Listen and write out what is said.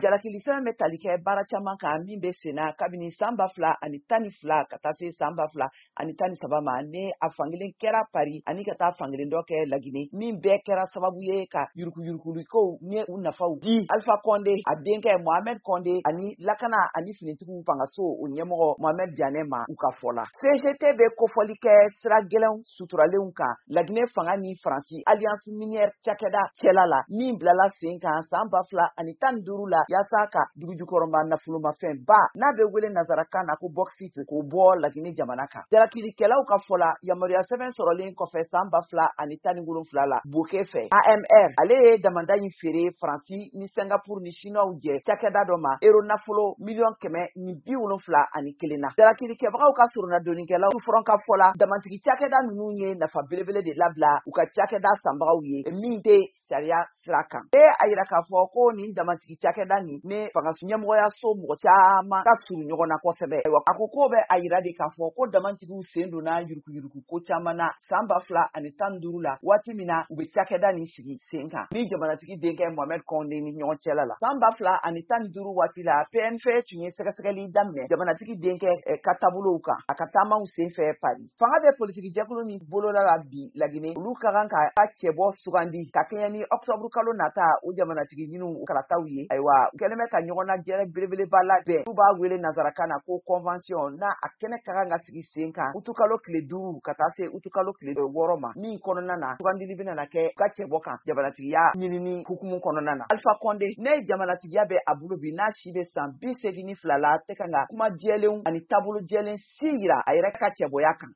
Jalakili sɛbɛn bɛ tali kɛ baara caman kan min bɛ senna kabini san 2012 ka taa se san 2013 ma, ni a fankelen kɛra Paris ani ka taa fankelen dɔ kɛ Lagine, min bɛɛ kɛra sababu ye ka yurukuyurukulikow ni u nafaw di Alpha Condé, a denkɛ Mohamed Condé ani lakana ani finitigiw fangaso o ɲɛmɔgɔ Mohamed Diané ma, u ka fɔ la. CGT bɛ kofɔli kɛ sira gɛlɛnw suturalenw kan Lagine fanga ni Faransi Alliance Minière cakɛda cɛla la, min bilala sen kan san 2015 la yaasa ka dugujukɔrɔma nafolomafɛnba n'a bɛ wele nazarakan na ko bauxite k'o bɔ Lagine jamana kan. Jalakilikɛlaw ka fɔ la, yamaruya sɛbɛn sɔrɔlen kɔfɛ san 2017 la Boke fɛ, AMR ale ye damanda in feere Faransi ni Singapour ni Chinois jɛ cakɛda dɔ ma euro nafolo miliyɔn 171 na. Jalakilikɛbagaw ka soronadonnikɛlaw front ka fɔ la, damantigi cakɛda ninnu ye nafa belebele de labila u ka cakɛda sanbagaw ye min tɛ sariya sira kan. E a yira k'a fɔ ko nin damantigi cakɛda nin ne fanga ɲɛmɔgɔyaso mɔgɔ caman ka surun ɲɔgɔn na kosɛbɛ. Ayiwa, a ko k'o bɛ a yira de k'a fɔ ko damantigiw sen donna yurukuyuruku ko caman na san 2015 la, waati min na u bɛ cakɛda nin sigi sen kan ni jamanatigi denkɛ Mohamed Condé ni ɲɔgɔn cɛla la. San 2015 waati la, PNF tun ye sɛgɛsɛgɛli daminɛ jamanatigi denkɛ ka taabolow kan a ka taamaw sen fɛ Paris. Fanga bɛ politiki jɛkulu min bolola la bi Lagine, olu ka kan ka cɛbɔ sugandi ka kɛɲɛ ni octobre kalo nata o jamanatigi ɲiniw kalataw ye. Ayiwa, u kɛlen bɛ ka ɲɔgɔn jɛrɛ belebeleba labɛn, n'u b'a wele nazarakan na ko convention, n'a a kɛnɛ ka kan ka sigi sen kan utukalo tile 5 ka taa se utukalo tile 6 ma, min kɔnɔna na sugandili bɛna kɛ u ka cɛbɔ kan jamanatigiya ɲinini hukumu kɔnɔna na. Alpha Condé ne jamanatigiya bɛ a bolo bi, n'a si bɛ san 82 la, tɛ kan ka kuma jɛlenw ani taabolo jɛlen si yira a yɛrɛ ka cɛbɔya kan.